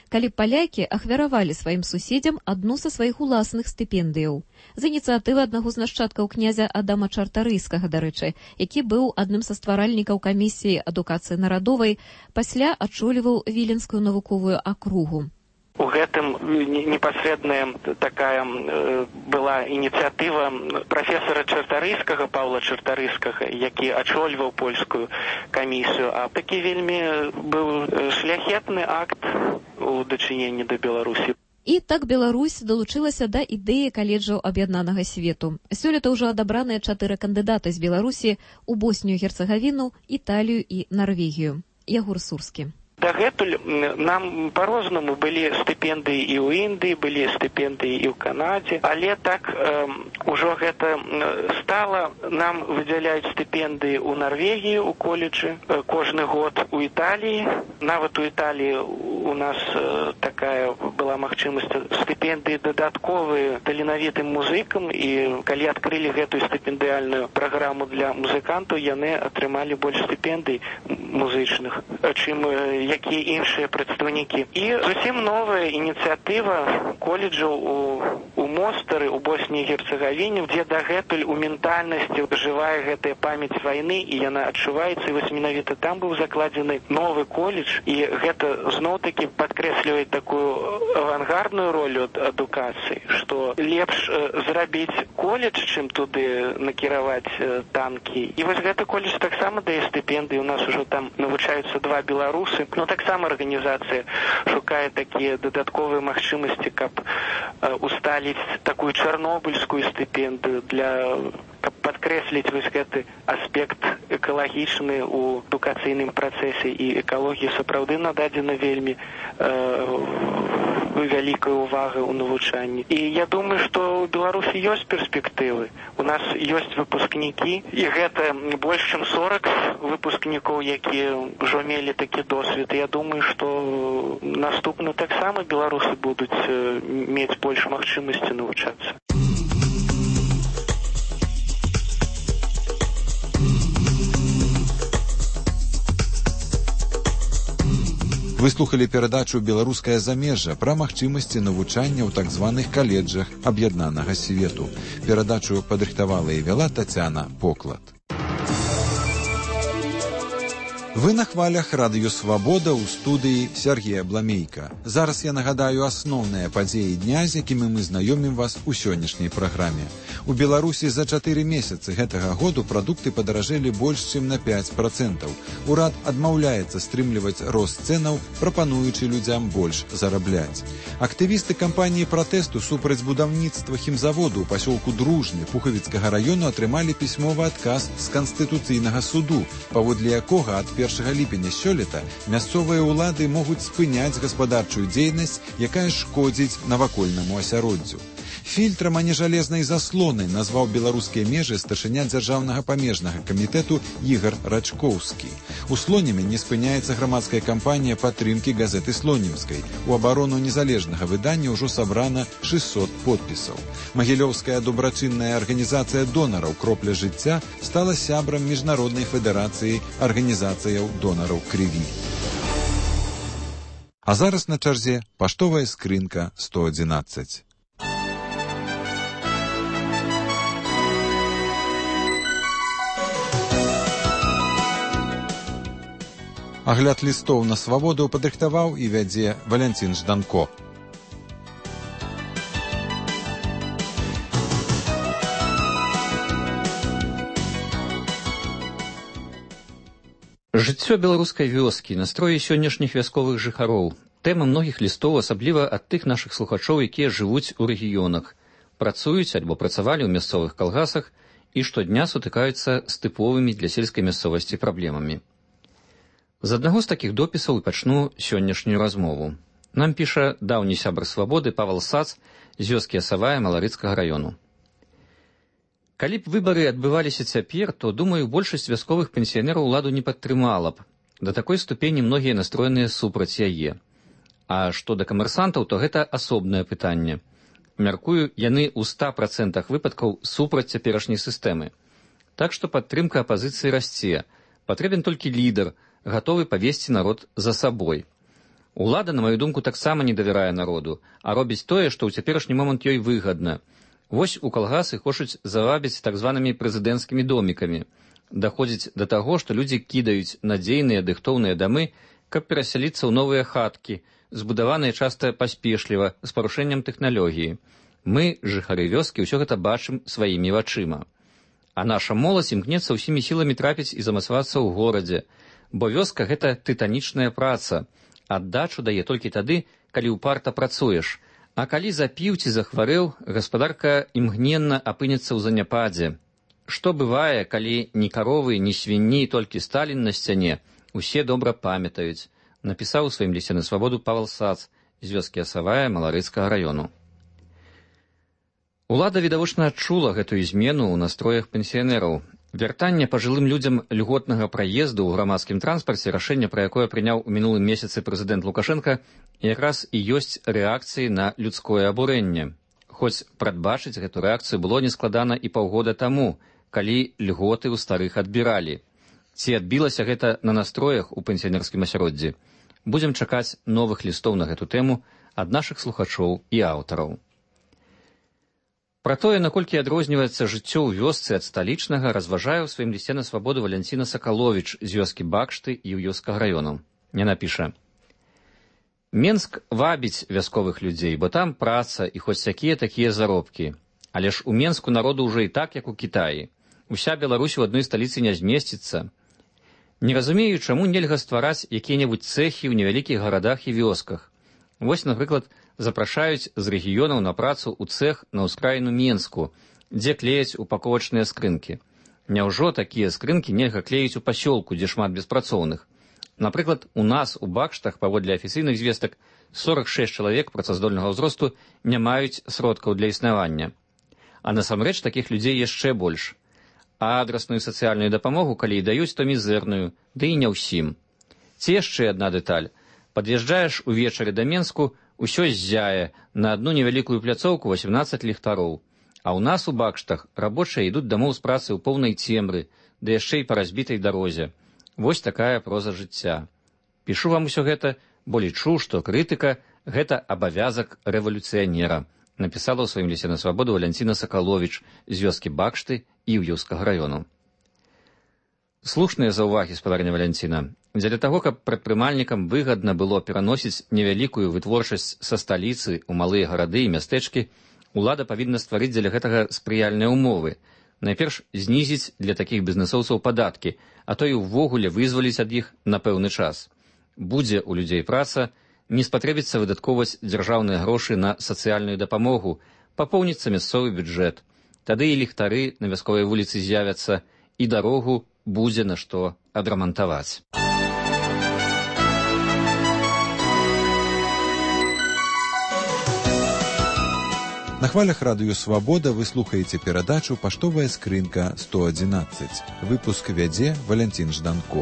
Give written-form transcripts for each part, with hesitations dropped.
калі палякі ахвяравалі сваім суседзям адну са сваіх уласных стыпендыяў. З ініцыятывы аднаго з нашчадкаў князя Адама Чартарыйскага, дарэчы, які быў адным са стваральнікаў камісіі адукацыі нарадовай, пасля ачоліваў Віленскую навуковую акругу. У гэтым непасрэдная такая была ініцыятыва прафесара Чартарыйскага, Паўла Чартарыйскага, які ачольваў польскую камісію. А такі вельмі быў шляхетны акт у дачыненні да Беларусі. І так Беларусь далучылася да ідэі каледжаў аб'яднанага свету. Сёлета ўжо адабраныя 4 кандыдаты з Беларусі ў Боснію, Герцагавіну, Італію і Нарвегію. Ягор Сурскі. Дагэтуль нам по-рознаму былі стыпендыі і ў Індыі, былі стыпендыі і ў Канадзе, але так ужо гэта стала. Нам выдзяляюць стыпендыі ў Нарвегіі, у коледжы, кожны год у Італіі. Нават у Італіі у нас такая была магчымасць стыпендыі дадатковыя таленавітым музыкам, і калі адкрылі гэтую стыпендыяльную праграму для музыкантаў, яны атрымалі больш стыпендый музычных, чым якія іншыя прадстаўнікі. І зусім новая ініцыятыва коледжаў у Мостары, у Босніі і Герцагавіне, дзе дагэтуль у ментальнасці жывая гэтая памяць вайны, і яна адчуваецца. І вось менавіта там быў закладзены новы коледж, і гэта зноў-такі падкрэслівае такую авангардную ролю адукацыі, што лепш зрабіць коледж, чым туды накіраваць танкі. І вось гэты коледж таксама дае стыпендыі. У нас ужо там навучаюцца 2 беларусы. Но таксама арганізацыя шукае такія дадатковыя магчымасці, каб усталіць такую чарнобыльскую стыпендыю, каб падкрэсліць вось гэты аспект экалагічны ў адукацыйным працэсе. І экалогія сапраўды нададзена вельмі вялікая ўвага ў навучанні. І я думаю, што ў Беларусі ёсць перспектывы. У нас ёсць выпускнікі, і гэта больш чым 40 выпускнікоў, якія ўжо мелі такі досвед. Я думаю, што наступна таксама беларусы будуць мець больш магчымасці навучацца. Вы слухали перадачу «Беларускае замежжа» пра магчымасці навучання ў так званых каледжах аб'яднанага свету. Перадачу падрыхтавала і вяла Тацяна Поклад. Вы на хвалях радыё «Свабода» ў студыі Сергея Бламейка. Зараз я нагадаю асноўныя падзеі дня, з якімі мы знаёмім вас у сённяшняй праграме. У Беларусі за 4 месяцы гэтага году прадукты падаражэлі больш чым на 5%. Урад адмаўляецца стрымліваць рост цэнаў, прапануючы людзям больш зарабляць. Актывісты кампаніі пратэсту супраць будаўніцтва хімзаводу ў пасёлку Дружны Пухавіцкага раёну атрымалі пісьмовы адказ з Канстытуцыйнага суду, паводле якога ад 1 ліпеня сёлета мясцовыя ўлады могуць спыняць гаспадарчую дзейнасць, якая шкодзіць навакольнаму асяроддзю. Фільтрам, а не жалезнай заслонай назваў беларускія межы старшыня дзяржаўнага памежнага камітэту Ігар Рачкоўскі. У Слонеме не спыняецца грамадская кампанія падтрымкі газеты Слонімскай. У абарону незалежнага выдання ўжо сабрана 600 подпісаў. Магілёўская добрачынная арганізацыя донараў «Кропля жыцця» стала сябрам Міжнароднай федэрацыі арганізацыяў донараў крыві. А зараз на чарзе паштовая скрынка 111. Агляд лістоў на свабоду падрыхтаваў і вядзе Валянцін Жданко. Жыццё беларускай вёскі, настроі сённяшніх вясковых жыхароў. Тэма многіх лістоў, асабліва ад тых нашых слухачоў, якія жывуць у рэгіёнах, працуюць альбо працавалі ў мясцовых калгасах і штодня сутыкаюцца з тыповымі для сельскай мясцовасці праблемамі. З аднаго з такіх допісаў і пачну сённяшнюю размову. Нам піша даўні сябар свабоды Павал Сац з вёскі Асавая Маларыцкага раёну. Калі б выбары адбываліся цяпер, то, думаю, большасць вясковых пенсіянераў уладу не падтрымала б. Да такой ступені многія настроеныя супраць яе. А што да камерсантаў, то гэта асобнае пытанне. Мяркую, яны ў 100% выпадкаў супраць цяперашняй сістэмы. Так што падтрымка апазіцыі расце. Патрэбен толькі лідар, гатовы павесці народ за сабой. Улада, на маю думку, таксама не давярае народу, а робіць тое, што ў цяперашні момант ёй выгадна. Вось у калгасы хочуць завабіць так званымі прэзідэнцкімі домікамі. Даходзіць да таго, што людзі кідаюць надзейныя дыхтоўныя дамы, каб перасяліцца ў новыя хаткі, збудаваныя часта паспешліва, з парушэннем тэхналогіі. Мы, жыхары вёскі, ўсё гэта бачым сваімі вачыма. А наша моладзь імкнецца ўсімі сіламі трапіць і замацавацца ў горадзе, бо вёска — гэта тытанічная праца. Аддачу дае толькі тады, калі ўпарта працуеш, а калі запіў ці захварэў, гаспадарка імгненна апынецца ў заняпадзе. Што бывае, калі ні каровы, ні свінні, толькі Сталін на сцяне, усе добра памятаюць, напісаў у сваім лісце на свабоду Павел Сац з вёскі Асавая Маларыцкага раёну. Улада відавочна адчула гэтую змену ў настроях пенсіянераў. Вяртанне пажылым людзям льготнага праезду ў грамадскім транспарце, рашэнне, пра якое прыняў у мінулым месяцы прэзідэнт Лукашенка, якраз і ёсць рэакцыяй на людское абурэнне. Хоць прадбачыць гэту рэакцыю было нескладана і паўгода таму, калі льготы ў старых адбіралі. Ці адбілася гэта на настроях у пенсіянерскім асяроддзі? Будзем чакаць новых лістоў на гэту тэму ад нашых слухачоў і аўтараў. Пра тое, наколькі адрозніваецца жыццё ў вёсцы ад сталічнага, разважае ў сваім лісце на свабоду Валянціна Сакаловіч з вёскі Бакшты і Іўёўскага раёну. Яна піша: «Менск вабіць вясковых людзей, бо там праца і хоць якія-такія заробкі. Але ж у Менску народу ўжо і так, як у Кітаі. Уся Беларусь у адной сталіцы не змесціцца. Не разумею, чаму нельга ствараць якія-небудзь цэхі ў невялікіх гарадах і вёсках. Вось, напрыклад, запрашаюць з рэгіёнаў на працу ў цэх на ўскраіну Менску, дзе клеяць упаковачныя скрынкі. Няўжо такія скрынкі нельга клеіць у пасёлку, дзе шмат беспрацоўных? Напрыклад, у нас у Бакштах, паводле афіцыйных звестак, 46 чалавек працаздольнага ўзросту не маюць сродкаў для існавання. А насамрэч такіх людзей яшчэ больш. А адрасную сацыяльную дапамогу, калі і даюць, то мізэрную, ды і не ўсім. Ці яшчэ адна дэталь. Пад'язджаеш увечары да Менску, усё ззяе, на адну невялікую пляцоўку 18 ліхтароў. А ў нас у Бакштах рабочыя ідуць дамоў з працы ў поўнай цемры, ды яшчэ і па разбітай дарозе. Вось такая проза жыцця. Пішу вам усё гэта, бо лічу, што крытыка — гэта абавязак рэвалюцыянера, напісала ў сваім лісце на свабоду Валянціна Сакаловіч з вёскі Бакшты і Іўёўскага раёну. Слушныя заўвагі, спадарня Валянціна. Дзеля таго, каб прадпрымальнікам выгадна было пераносіць невялікую вытворчасць са сталіцы ў малыя гарады і мястэчкі, улада павінна стварыць дзеля гэтага спрыяльныя ўмовы. Найперш знізіць для такіх бізнэсоўцаў падаткі, а то і ўвогуле вызваліць ад іх на пэўны час. Будзе ў людзей праца, не спатрэбіцца выдаткоўваць дзяржаўныя грошы на сацыяльную дапамогу, папоўніцца мясцовы бюджэт. Тады і ліхтары на вясковай вуліцы з'явяцца, і дарогу будзе на што адрамантаваць. На хвалях радыё «Свабода» вы слухаеце перадачу «Паштовая скрынка 111». Выпуск вядзе Валянцін Жданко.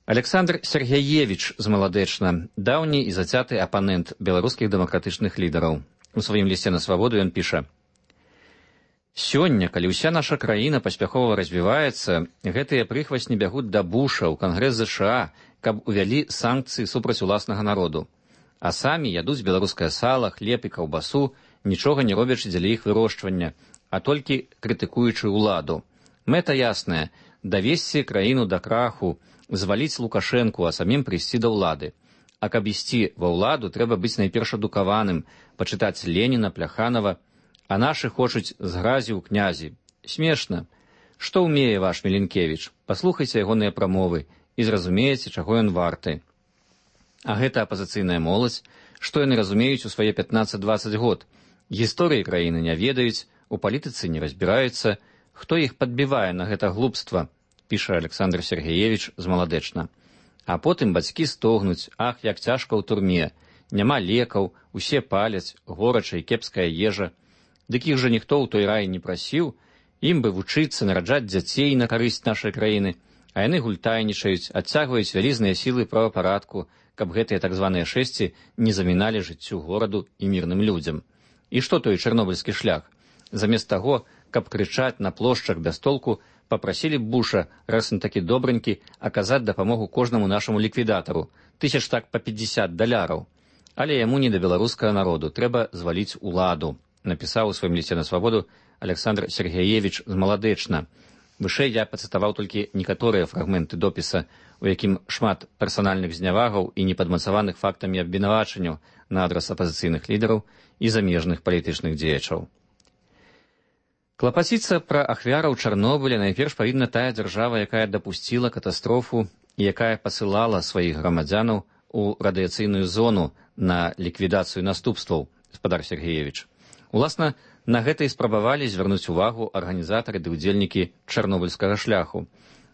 Александр Сергеевич з Маладэчна, даўні і зацяты апанент беларускіх дэмакратычных лідараў. У сваім лісце на свабоду ён піша: «Сёння, калі ўся наша краіна паспяхова развіваецца, гэтыя прыхвасні бягуць да Буша ў Кангрэс ЗША, каб увялі санкцыі супраць уласнага народу. А самі ядуць беларускае сала, хлеб і каўбасу, нічога не робячы дзеля іх вырошчвання, а толькі крытыкуючы ўладу. Мэта ясная — давесці краіну да краху, зваліць Лукашэнку, а самім прыйсці да ўлады. А каб ісці ва ўладу, трэба быць найперш адукаваным, пачытаць Леніна, Пляханова, а нашы хочуць з гразі ў князі. Смешна. Што ўмее ваш Міленкевіч? Паслухайце ягоныя прамовы і зразумееце, чаго ён варты. А гэта апазіцыйная моладзь, што яны разумеюць у свае 15-20 год. Гісторыі краіны не ведаюць, у палітыцы не разбіраюцца. Хто іх падбівае на гэта глупства? Піша Александр Сергеевич з Маладэчна. А потым бацькі стогнуць: ах, як цяжка ў турме, няма лекаў, усе паляць, горача і кепская ежа. Дык іх жа ніхто ў той рай не прасіў, ім бы вучыцца, нараджаць дзяцей на карысць нашай краіны, а яны гультайнічаюць, адцягваюць вялізныя сілы правапарадку, каб гэтыя так званыя шэсці не заміналі жыццю гораду і мірным людзям. І што той чарнобыльскі шлях? Замест таго, каб крычаць на плошчах без толку, Попросили Буша, раз он таки добренький, оказать допомогу кожному нашему ликвидатору. $1000 так по $50. Але яму не до беларускага народу, трэба зваліць уладу, напісаў у сваім лісце на свабоду Александр Сергеевич з Маладэчна. Вышэй я пацытаваў толькі некаторыя фрагменты допіса, у якім шмат персанальных знявагаў і непадмацаваных фактамі абвінавачанняў на адрас апазіцыйных лідараў і замежных палітычных дзеячаў. Клапаціцца пра ахвяраў Чарнобыля найперш павінна тая дзяржава, якая дапусціла катастрофу і якая пасылала сваіх грамадзянаў у радыяцыйную зону на ліквідацыю наступстваў, гаспадар Сергеевич. Уласна, на гэта і спрабавалі звярнуць увагу арганізатары ды ўдзельнікі чарнобыльскага шляху.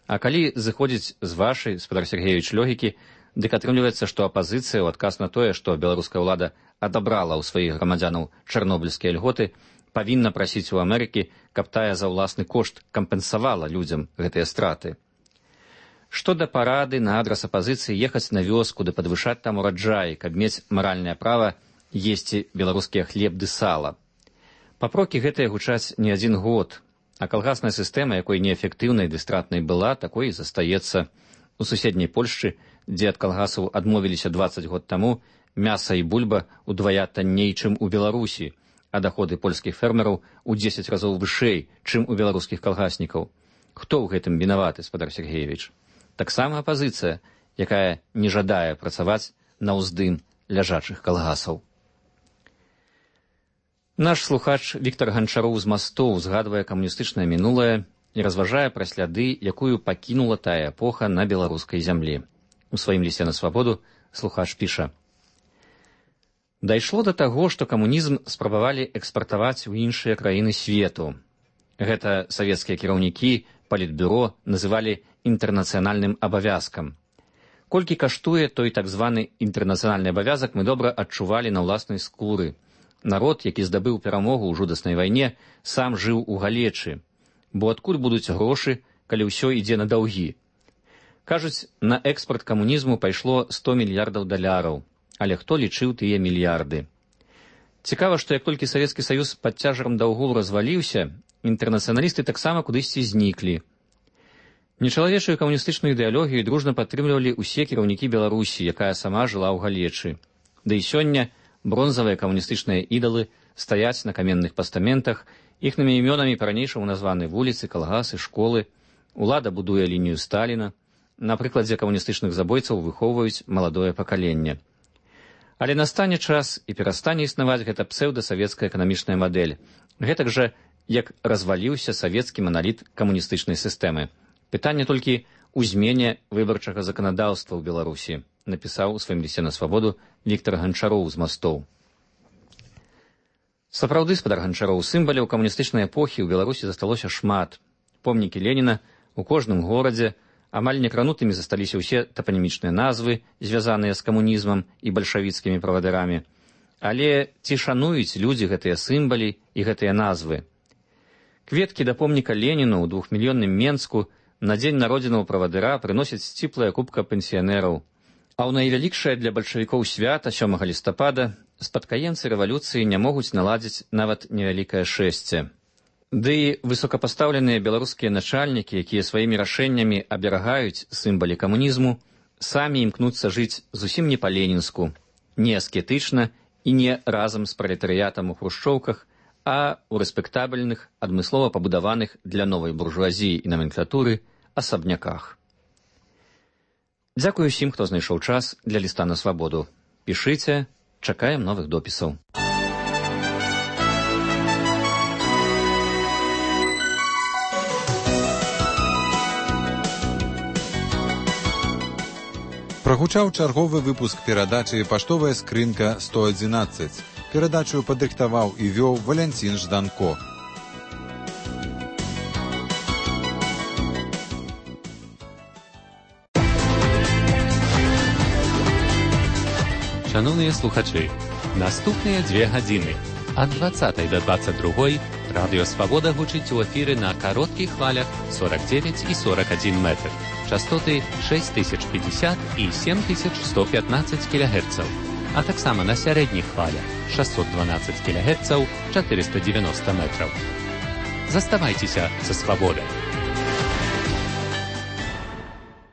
А калі зыходзіць з вашай, гаспадар Сергеевич, логікі, дык атрымліваецца, што апазіцыя ў адказ на тое, што беларуская ўлада адабрала ў сваіх грамадзянаў чарнобыльскія льготы, павінна прасіць у Амерыкі, каб тая за ўласны кошт кампенсавала людзям гэтыя страты. Што да парады на адрас апазіцыі ехаць на вёску ды падвышаць там ураджай, каб мець маральнае права есці беларускія хлеб ды сала. Папрокі гэтыя гучаць не адзін год, а калгасная сістэма, якой неэфектыўнай ды стратнай была, такой і застаецца. У суседняй Польшчы, дзе ад калгасаў адмовіліся 20 год таму, мяса і бульба удвая танней, чым у Беларусі, а доходы польскіх фермераў у 10 разоў вышэй, чым у беларускіх калгаснікаў. Хто ў гэтым вінаваты, гаспадар Сергеевич? Таксама апазіцыя, якая не жадае працаваць на ўздым ляжачых калгасаў. Наш слухач Віктор Ганчароў з Мастоў згадвае камуністычнае мінулае і разважае пра сляды, якую пакінула тая эпоха на беларускай зямлі. У сваім лісце на свабоду слухач піша: «Дайшло да таго, што камунізм спрабавалі экспартаваць у іншыя краіны свету. Гэта савецкія кіраўнікі палітбюро называлі інтэрнацыянальным абавязкам. Колькі каштуе той так званы інтэрнацыянальны абавязак, мы добра адчувалі на ўласнай скуры. Народ, які здабыў перамогу ў жудаснай вайне, сам жыў у галечы. Бо адкуль будуць грошы, калі ўсё ідзе на даўгі? Кажуць, на экспарт камунізму пайшло $100 мільярдаў, але хто лічыў тыя мільярды? Цікава, што як толькі Савецкі Саюз пад цяжарам даўгоў разваліўся, інтэрнацыяналісты таксама кудысьці зніклі. Нечалавечую камуністычную ідэалогію дружна падтрымлівалі ўсе кіраўнікі Беларусі, якая сама жыла ў галечы. Да і сёння бронзавыя камуністычныя ідалы стаяць на каменных пастаментах, іхнымі імёнамі па-ранейшаму названы вуліцы, калгасы, школы. Улада будуе лінію Сталіна. На прыкладзе камуністычных забойцаў выхоўваюць маладое пакаленне. Але настане час і перастане існаваць гэта псеўдасавецкая эканамічная мадэль. Гэтак жа, як разваліўся савецкі маналіт камуністычнай сістэмы. Пытанне толькі ў змене выбарчага заканадаўства ў Беларусі, напісаў у сваім лісце на свабоду Віктор Ганчароў з Мастоў. Сапраўды, гаспадар Ганчароў, сімваляў камуністычнай эпохі ў Беларусі засталося шмат. Помнікі Леніна у кожным горадзе, амаль некранутымі засталіся ўсе тапанімічныя назвы, звязаныя з камунізмам і бальшавіцкімі правадырамі. Але ці шануюць людзі гэтыя сімвалі і гэтыя назвы? Кветкі да помніка Леніну ў 2-мільённым Менску на дзень народзінаў правадыра прыносяць сціплая купка пенсіянераў. А ў найвялікшае для бальшавікоў свята 7 лістапада спадкаемцы рэвалюцыі не могуць наладзіць нават невялікае шэсце. Ды і высокапастаўленыя беларускія начальнікі, якія сваімі рашэннямі аберагаюць сімвалі камунізму, самі імкнуцца жыць зусім не па-ленінску, не аскетычна і не разам з пралетарыятам у хрушчоўках, а ў рэспектабельных, адмыслова пабудаваных для новай буржуазіі і наменклатуры асабняках. Дзякую ўсім, хто знайшоў час для ліста на свабоду. Пішыце, чакаем новых допісаў. Прагучаў чарговы выпуск перадачы «Паштовая скрынка 111». Перадачу падрыхтаваў і вёў Валянцін Жданко. Шановныя слухачы, наступныя 2 гадзіны ад 20 до 22 Радыё Свабода гучыць у эфіры на кароткіх хвалях 49 і 41 метр, частоты 6050 і 7115 кГц, а таксама на сярэдніх хвалях 612 кГц, 490 метраў. Заставайцеся са Свабодай.